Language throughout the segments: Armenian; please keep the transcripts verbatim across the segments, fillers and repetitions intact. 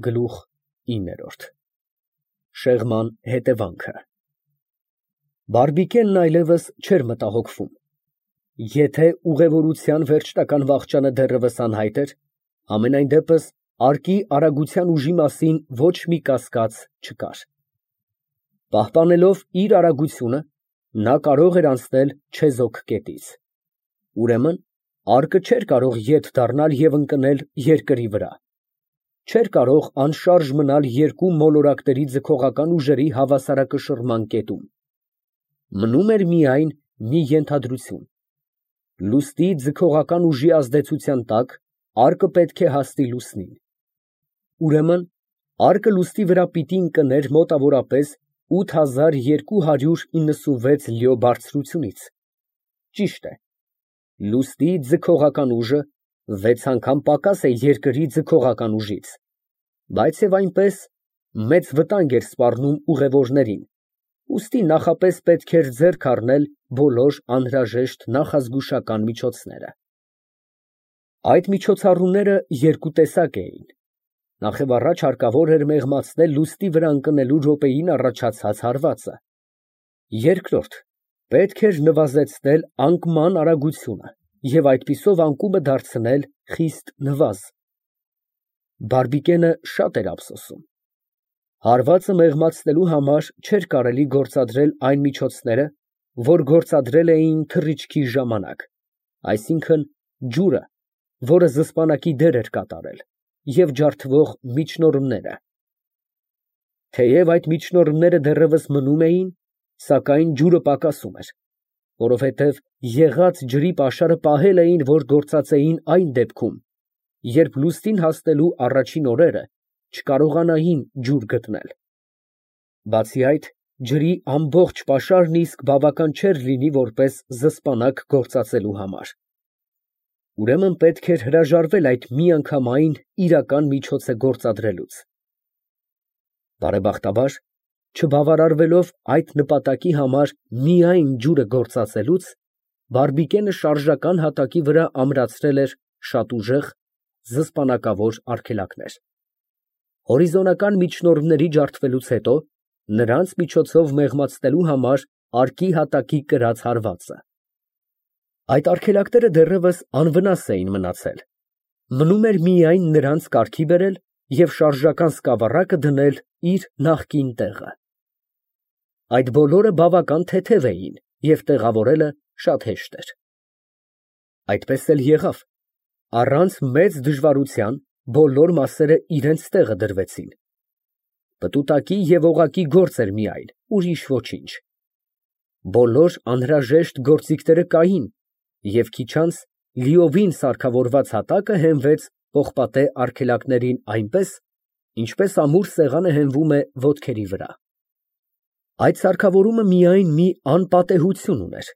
Գլուխ ինը Շեղման հետևանքը Բարբիկենն այլևս չէր մտահոգվում. եթե ուղևորության վերջնական վախճանը դեռևս անհայտ էր, համենայն դեպս արկի արագության ուժի մասին ոչ մի կասկած չկար. պահպանելով իր արագությունը, նա կարող էր անցնել չեզոք կետից, ուրեմն արկը չէր կարող ետ դառնալ և ընկնել երկրի վրա, չէր կարող անշարժ մնալ երկու մոլորակների ձգողական ուժերի հավասարակշռման կետում, մնում էր միայն մի ենթադրություն. լուսնի ձգողական ուժի ազդեցության տակ արկը պետք է հասնի լուսնին, ուրեմն արկը լուսնի վրա պիտի ընկներ մոտավորապես ութ հազար երկու հարյուր իննսունվեց լյո բարձրությունից, ճիշտ է, լուսնի ձգողական ուժը վեց անգամ պակաս է երկրի ձգողական ուժից, բայց և այնպես մեծ վտանգ էր սպառնում ուղևորներին, ուստի նախապես պետք էր ձեռք առնել բոլոր անհրաժեշտ նախազգուշական միջոցները։ Այդ միջոցառումները երկու տեսակ էին. նախևառաջ հարկավոր էր մեղմացնել լուսնի վրա ընկնելու րոպեին առաջացած հարվածը, երկրորդ, պետք էր նվազեցնել անկման արագությունը և այդպիսով անկումը դարձնել խիստ նվազ։ Բարբիկենը շատ էր ափսոսում. հարվածը մեղմացնելու համար չէր կարելի գործադրել այն միջոցները, որ գործադրել էին թռիչքի ժամանակ, այսինքն՝ ջուրը, որը զսպանակի դեր էր կատարել, և ջարդվող միջնորդները։ Թեև այդ միջնորդները դեռևս մնում էին, սակայն ջուրը պակասում էր, որովհետև եղած ջրի պաշարը պահել էին, որ գործածեին այն դեպքում, երբ լուսնին հասնելու առաջին օրերը չկարողանային ջուր գտնել։ Բացի այդ, ջրի ամբողջ պաշարն իսկ բավական չէր լինի որպես զսպանակ գործածելու համար։ Ուրեմն պետք էր հրաժարվել այդ միանգամայն իրական միջոցը գործադրելուց։ Բարեբախտաբար, չբավարարվելով այդ նպատակի համար միայն ջուրը գործածելուց, Բարբիկենը շարժական հատակի վրա ամրացրել էր շատ ուժեղ, զսպանակավոր արգելակներ։ Հորիզոնական միջնորդների ջարդվելուց հետո նրանց միջոցով մեղմացնելու համար արկի հատակի կրած հարվածը։ Այդ արգելակները դեռևս անվնաս էին մնացել, մնում էր միայն նրանց կարգի բերել և շարժական սկավառակը դնել իր նախկին տեղը։ Այդ բոլորը բավական թեթև էին և տեղավորելը շատ հեշտ էր։ Այդպես էլ եղավ, առանց մեծ դժվարության բոլոր մասերը իրենց տեղը դրվեցին։ Պտուտակի և օղակի գործ էր միայն, ուրիշ ոչինչ։ Բոլոր անհրաժեշտ գործիքները կային, և քիչ անց լիովին սարքավորված հատակը հենվեց պողպատե արգելակներին այնպես, ինչպես ամուր սեղանը հենվում է ոտքերի վրա։ Այդ սարքավորումը միայն մի անպատեհություն ուներ.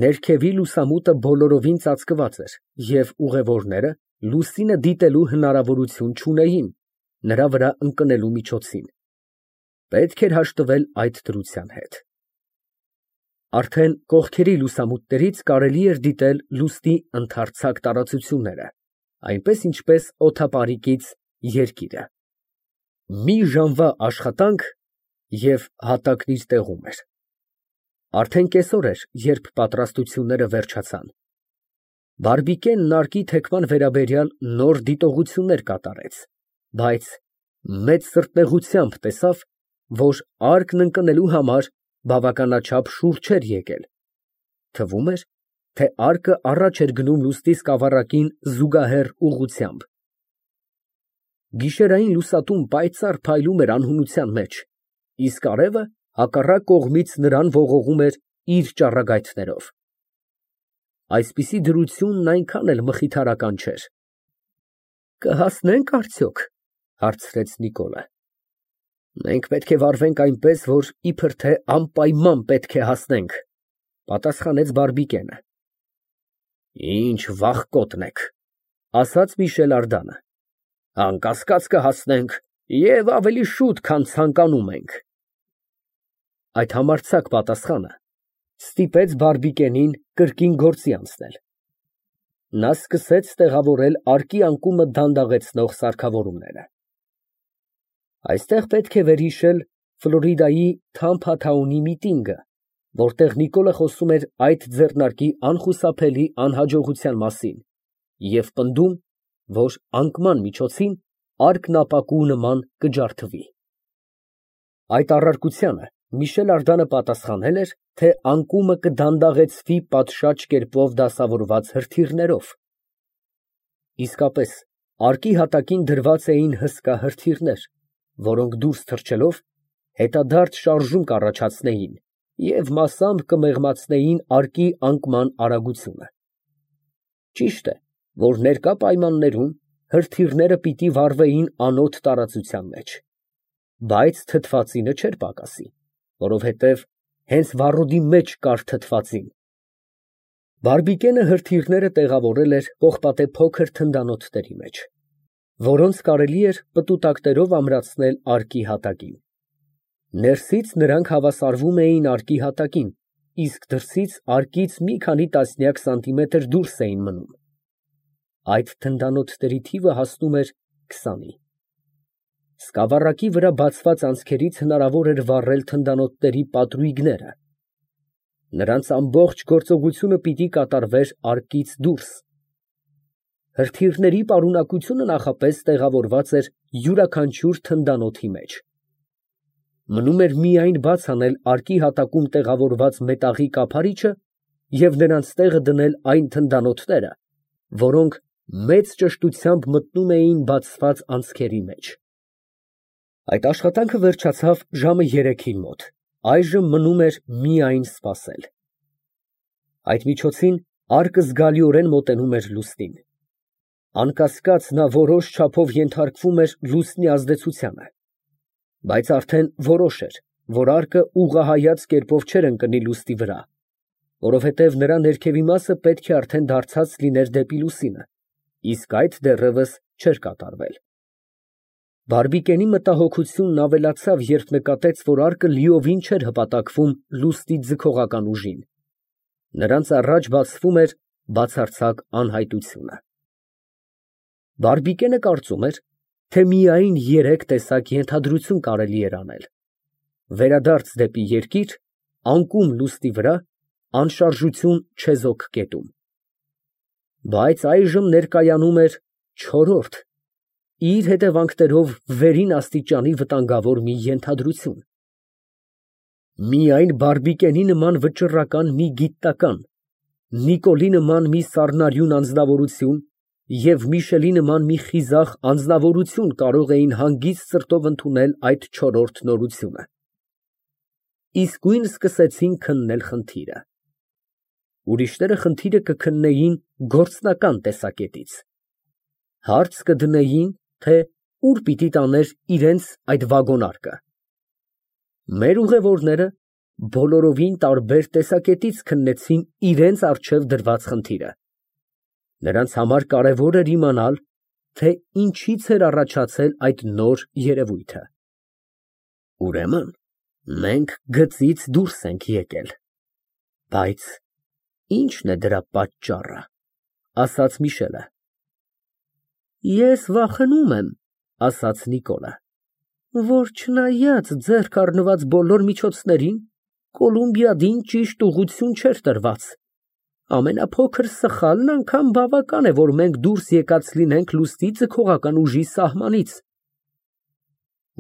ներքևի լուսամուտը բոլորովին ծածկված էր, և ուղևորները լուսինը դիտելու հնարավորություն չունեին նրա վրա ընկնելու միջոցին, պետք էր հաշտվել այդ դրության հետ։ Արդեն կողքերի լուսամուտներից կարելի էր դիտել լուսնի ընդարձակ տարածությունները, այնպես ինչպես օդապարիկից երկիրը։ Մի ժամվա աշխատանք, և հատակն իր տեղում էր։ Արդեն կեսօր էր, երբ պատրաստությունները վերջացան։ Բարբիկենն արկի թեքման վերաբերյալ նոր դիտողություններ կատարեց, բայց մեծ սրտնեղությամբ տեսավ, որ արկն ընկնելու համար բավականաչափ շուռ չէր եկել, թվում էր, թե արկը առաջ էր գնում լուսնի սկավառակին զուգահեռ ուղղությամբ։ Գիշերային լուսատուն պայծառ փայլում էր անհունության մեջ, իսկ արևը հակառակ կողմից նրան ողողում էր իր ճառագայթներով։ Այսպիսի դրությունն այնքան էլ մխիթարական չէր։ «Կհասնե՞նք արդյոք» հարցրեց Նիկոլը։ «Մենք պետք է վարվենք այնպես, որ իբր թե անպայման պետք է հասնենք», պատասխանեց Բարբիկենը։ «Ինչ վախկոտն եք», ասաց Միշել Ардանը, «անկասկած կհասնենք և ավելի շուտ, քան ցանկանում ենք»։ Այդ համարձակ պատասխանը ստիպեց Բարբիկենին կրկին գործի անցնել։ Նա սկսեց տեղավորել արկի անկումը դանդաղեցնող սարքավորումները։ Այստեղ պետք է վերհիշել Ֆլորիդայի Թամփաթաունի միտինգը, որտեղ Նիկոլը խոսում էր այդ ձեռնարկի անխուսափելի անհաջողության մասին և պնդում, որ անկման միջոցին արկն ապակու նման կջարդվի։ Այդ առարկությանը Միշել Արդանը պատասխանել էր, թե անկումը կդանդաղեցվի պատշաճ կերպով դասավորված հրթիռներով։ Իսկապես, արկի հատակին դրված էին հսկա հրթիռներ, որոնք դուրս թռչելով հետադարձ շարժում կառաջացնեին և մասամբ կմեղմացնեին արկի անկման արագությունը։ Ճիշտ է, որ ներկա պայմաններում հրթիռները պիտի վառվեին անոտ տարածության մեջ, բայց թթվածինը չէր պակասի, որովհետև հենց վառոդի մեջ կար թթվածին։ Բարբիկենը հրթիռները տեղավորել էր պողպատե փոքր թնդանոթների մեջ, որոնց կարելի էր պտուտակներով ամրացնել արկի հատակին։ Ներսից նրանք հավասարվում էին արկի հատակին, իսկ դրսից արկից մի քանի տասնյակ սանտիմետր դուրս էին մնում։ Այդ թնդանոթների թիվը հասնում էր քսանի։ Սկավառակի վրա բացված անցքերից հնարավոր էր վառել թնդանոթների պատրույգները։ Նրանց ամբողջ գործողությունը պիտի կատարվեր արկից դուրս։ Հրթիռների պարունակությունը նախապես տեղավորված էր յուրաքանչյուր թնդանոթի մեջ։ Մնում էր միայն բաց անել արկի հատակում տեղավորված մետաղի կափարիչը և նրանց տեղը դնել այն թնդանոթները, որոնք մեծ ճշտությամբ մտնում էին բացված անցքերի մեջ։ Այդ աշխատանքը վերջացավ ժամը երեքին մոտ, այժմ մնում էր միայն սպասել։ Այդ միջոցին արկը զգալիորեն մոտենում էր լուսնին։ Անկասկած, նա որոշ չափով ենթարկվում էր լուսնի ազդեցությանը, բայց արդեն որոշ էր, որ արկը ուղղահայաց կերպով չէր ընկնի լուսնի վրա, որովհետև նրա ներքևի մասը պետք է արդեն դարձած լիներ դեպի լուսինը, իսկ այդ դեռևս չէր կատարվել։ Բարբիկենի մտահոգությունն ավելացավ, երբ նկատեց, որ արկը լիովին չէր հպատակվում լուսնի ձգողական ուժին։ Նրանց առաջ բացվում էր բացարձակ անհայտությունը։ Բարբիկենը կարծում էր, թե միայն երեք տեսակ ենթադրություն կարելի էր անել. վերադարձ դեպի երկիր, անկում լուսնի վրա, անշարժություն չեզոք կետում։ Բայց այժմ ներկայանում էր չորրորդ, իր հետևանքներով վերին աստիճանի վտանգավոր մի ենթադրություն։ Միայն Բարբիկենի նման վճռական մի գիտնական, Նիկոլի նման մի սառնարյուն անձնավորություն և Միշելի նման մի խիզախ անձնավորություն կարող էին հանգիստ սրտով ընդունել այդ չորրորդ նորությունը։ Իսկույն սկսեցին քննել խնդիրը։ Ուրիշները խնդիրը կքննեին գործնական տեսակետից։ Հարց կդնեին, թե ուր պիտի տաներ իրենց այդ վագոնարկը։ Մեր ուղևորները բոլորովին տարբեր տեսակետից քննեցին իրենց առջև դրված խնդիրը։ Նրանց համար կարևոր էր իմանալ, թե ինչից էր առաջացել այդ նոր երևույթը։ Ուրեմն, մենք գծից դուրս ենք եկել։ Բայց ի՞նչն է դրա պատճառը, ասաց Միշելը։ Ես վախենում եմ, ասաց Նիկոլը, որ չնայած ձեռք առնված բոլոր միջոցներին, Կոլումբիադին ճիշտ ուղղություն չէր տրված։ Ամենափոքր սխալն անգամ բավական է, որ մենք դուրս եկած լինենք լուսնի ձգողական ուժի սահմանից։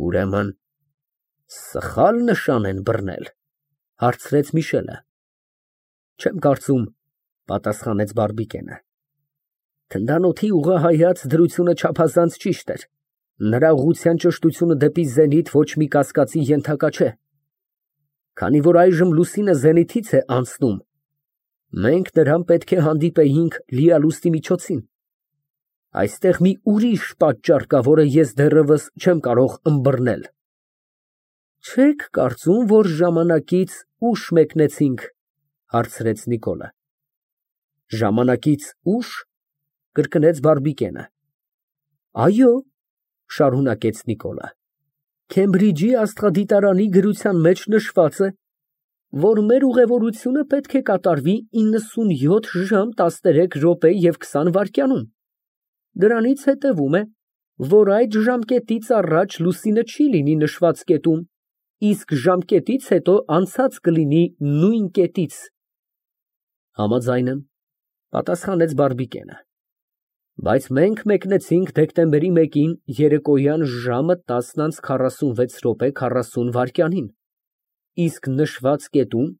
Ուրեմն, սխալ նշան են բռնել, հարցրեց Միշելը։ Չեմ կարծում, պատասխանեց Բարբիկենը։ Թնդանոթի ուղղահայաց դրությունը չափազանց ճիշտ էր։ Նրա ուղղության ճշտությունը դեպի զենիթ ոչ մի կասկածի ենթակա չէ։ Քանի որ այժմ լուսինը զենիթից է անցնում, մենք նրան պետք է հանդիպեինք լիալուսնի միջոցին։ Այստեղ մի ուրիշ պատճառ կա, որը ես դեռևս չեմ կարող ըմբռնել։ Չեք կարծում, որ ժամանակից ուշ մեկնեցինք, հարցրեց Նիկոլը։ Ժամանակից ուշ, կրկնեց Բարբիկենը։ Այո, շարունակեց Նիկոլը։ Քեմբրիջի աստղադիտարանի գրության մեջ նշված է, որ մեր ուղևորությունը պետք է կատարվի իննսունյոթ ժամ տասներեք րոպե և քսան վայրկյանում։ Դրանից հետևում է, որ այդ ժամկետից առաջ լուսինը չի լինի նշված կետում, իսկ ժամկետից հետո անցած կլինի նույն կետից։ Համաձայն եմ, պատասխանեց Բարբիկենը, բայց մենք մեկնեցինք դեկտեմբերի մեկին երեկոյան ժամը տասն անց քառասունվեց րոպե քառասուն վայրկյանին, իսկ նշված կետում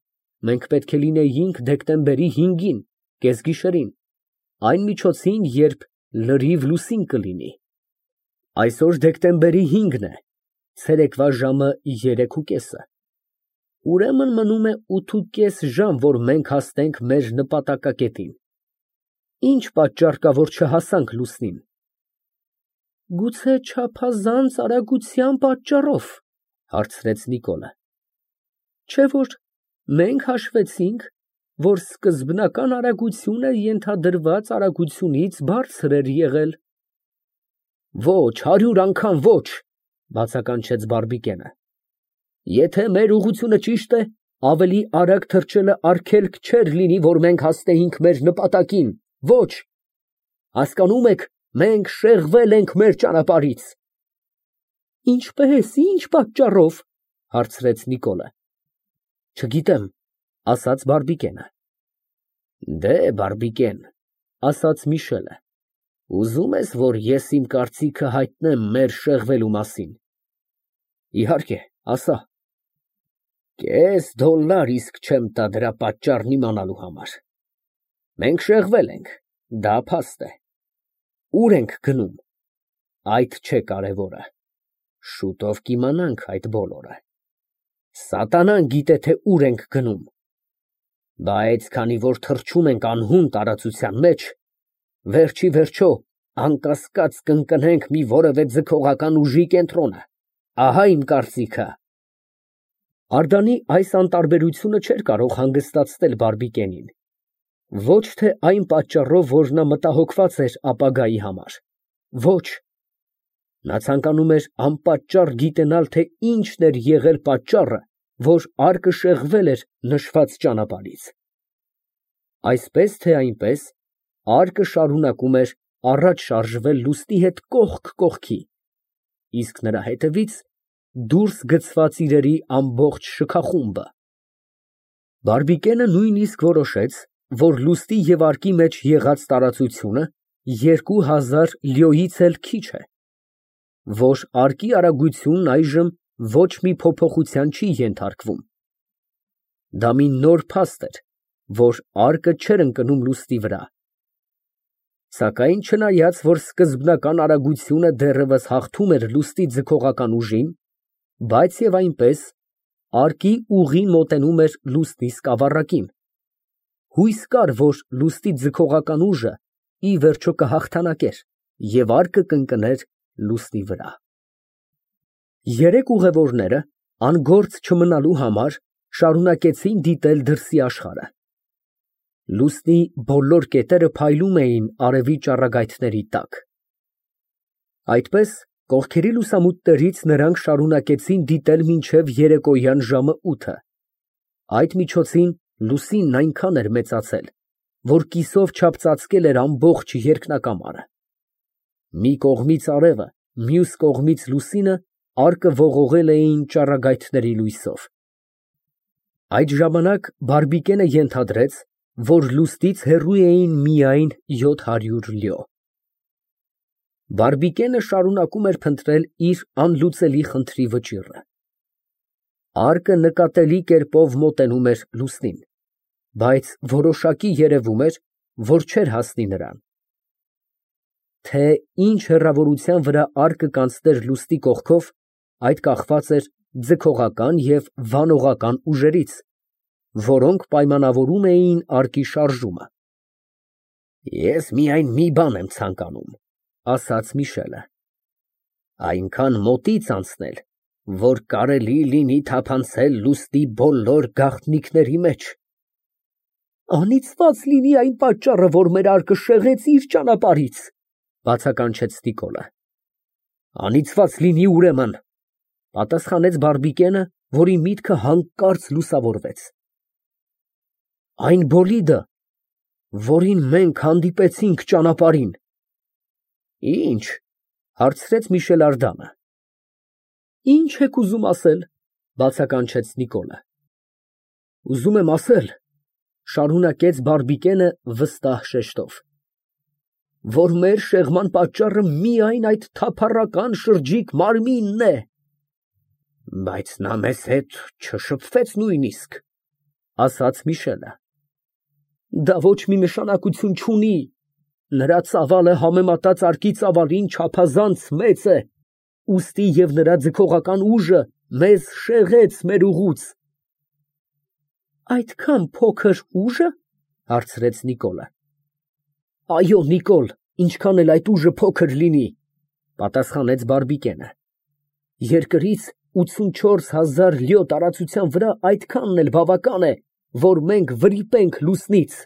մենք պետք է լինեինք դեկտեմբերի հինգին, կեսգիշերին, այն միջոցին, երբ լրիվ լուսին կլինի։ Այսօր դեկտեմբերի հինգն է, ցերեկվա ժամը երեկուկեսը, ուրեմն մնում է ութուկես ժամ, որ մենք հասնենք մեր նպատակակետին։ Ինչ պատճառ կա, որ չհասանք լուսնին։ Գուցե չափազանց արագության պատճառով, հարցրեց Նիկոլը։ Չէ՞ որ մենք հաշվեցինք, որ սկզբնական արագությունը ենթադրված արագությունից բարձր էր եղել։ Ոչ, հարյուր անգամ ոչ, բացականչեց Բարբիկենը։ Եթե մեր ուղղությունը ճիշտ է, ավելի արագ թռչելը արգելք չէր լինի, որ մենք հասնեինք մեր նպատակին։ Ոչ, հասկանում եք, մենք շեղվել ենք մեր ճանապարհից։ Ինչպե՞ս, ինչ պատճառով, հարցրեց Նիկոլը։ Չգիտեմ, ասաց Բարբիկենը։ Դե, Բարբիկեն, ասաց Միշելը, ուզում ես, որ ես իմ կարծիքը հայտնեմ մեր շեղվելու մասին։ Իհարկե, ասա։ Կես դոլար իսկ չեմ տա դրա պատճառն իմանալու համար։ Մենք շեղվել ենք, դա փաստ է։ Ուր ենք գնում։ Այդ չէ կարևորը։ Շուտով կիմանանք այդ բոլորը։ Սատանան գիտե, թե ուր ենք գնում։ Բայց քանի որ թռչում ենք անհուն տարածության մեջ, վերջի վերջո անկասկած կընկնենք մի որևէ ձգողական ուժի կենտրոնը։ Ահա իմ կարծիքը։ Ардանի այս անտարբերությունը չէր կարող հանգստացնել Բարբիկենին։ Ոչ թե այն պատճառով, որ նա մտահոգված էր ապագայի համար։ Ոչ։ Նա ցանկանում էր անպատճառ գիտենալ, թե ինչն էր եղել պատճառը, որ արկը շեղվել էր նշված ճանապարհից։ Այսպես թե այնպես, արկը շարունակում էր առաջ շարժվել լուսնի հետ կողք կողքի, իսկ նրա հետևից դուրս գցված իրերի ամբողջ շքախումբը։ Բարբիկենը նույնիսկ որոշեց, որ լուսնի և արկի մեջ եղած տարածությունը երկու հազար լյոյից էլ քիչ է, որ արկի արագությունն այժմ ոչ մի փոփոխության չի ենթարկվում։ Դա մի նոր փաստ էր, որ արկը չէր ընկնում լուսնի վրա։ Սակայն չնայած, որ սկզբնական արագությունը դեռևս հաղթում էր լուսնի ձգողական ուժին, բայց և այնպես, արկի ուղին մոտենում էր լուսնի սկավառակին։ Հույս կար, որ լուսնի ձգողական ուժը ի վերջո կհաղթանակեր և արկը կընկներ լուսնի վրա։ Երեք ուղևորները, անգործ չմնալու համար, շարունակեցին դիտել դրսի աշխարհը։ Լուսնի բոլոր կետերը փայլում էին արևի ճառագայթների տակ։ Այդպես, կողքերի լուսամուտներից նրանք շարունակեցին դիտել մինչև երեկոյան ժամը ութը։ Այդ միջոցին լուսինն այնքան էր մեծացել, որ կիսով չափ ծածկել էր ամբողջ երկնակամարը։ Մի կողմից արևը, մյուս կողմից լուսինը արկը ողողել էին ճառագայթների լույսով։ Այդ ժամանակ Բարբիկենը ենթադրեց, որ լուսնից հեռու էին միայն յոթ հարյուր լյո։ Բարբիկենը շարունակում էր փնտրել իր անլուծելի խնդրի վճիռը։ Արկը նկատելի կերպով մոտենում էր լուսնին, բայց որոշակի երևում էր, որ չէր հասնի նրան։ Թե ինչ հեռավորության վրա արկը կանցներ լուսնի կողքով, այդ կախված էր ձգողական և վանողական ուժերից, որոնք պայմանավորում էին արկի շարժումը։ Ես միայն մի բան եմ ցանկանում, ասաց Միշելը, այնքան մոտից անցնել, որ կարելի լինի թափանցել լուսնի բոլոր գաղտնիքների մեջ։ Անիծված լինի այն պատճառը, որ մեր արկը շեղեց իր ճանապարհից, բացականչեց Նիկոլը։ Անիծված լինի ուրեմն, պատասխանեց Բարբիկենը, որի միտքը հանկարծ լուսավորվեց։ Այն բոլիդը, որին մենք հանդիպեցինք ճանապարհին։ Ինչ, Հարցրեց Միշել։ Ինչ եք ուզում ասել, բացականչեց Նիկոլը։ Ուզում եմ ասել, շարունակեց Բարբիկենը վստահ շեշտով, որ մեր շեղման պատճառը միայն այդ թափառական շրջիկ մարմինն է։ Բայց նա մեզ հետ չշփվեց նույնիսկ, ասաց Միշելը։ Դա ոչ մի նշանակություն չունի, նրա ծավալը համեմատած արկի ծավալին չափազանց մեծ է, ուստի և նրա ձգողական ուժը մեզ շեղեց մեր ուղուց։ Այդքան փոքր ուժը, հարցրեց Նիկոլը։ Այո, Նիկոլ, ինչքան էլ այդ ուժը փոքր լինի, պատասխանեց Բարբիկենը։ Երկրից ութսունչորս հազար լյո տարածության վրա այդքանն էլ բավական է, որ մենք վրիպենք լուսնից։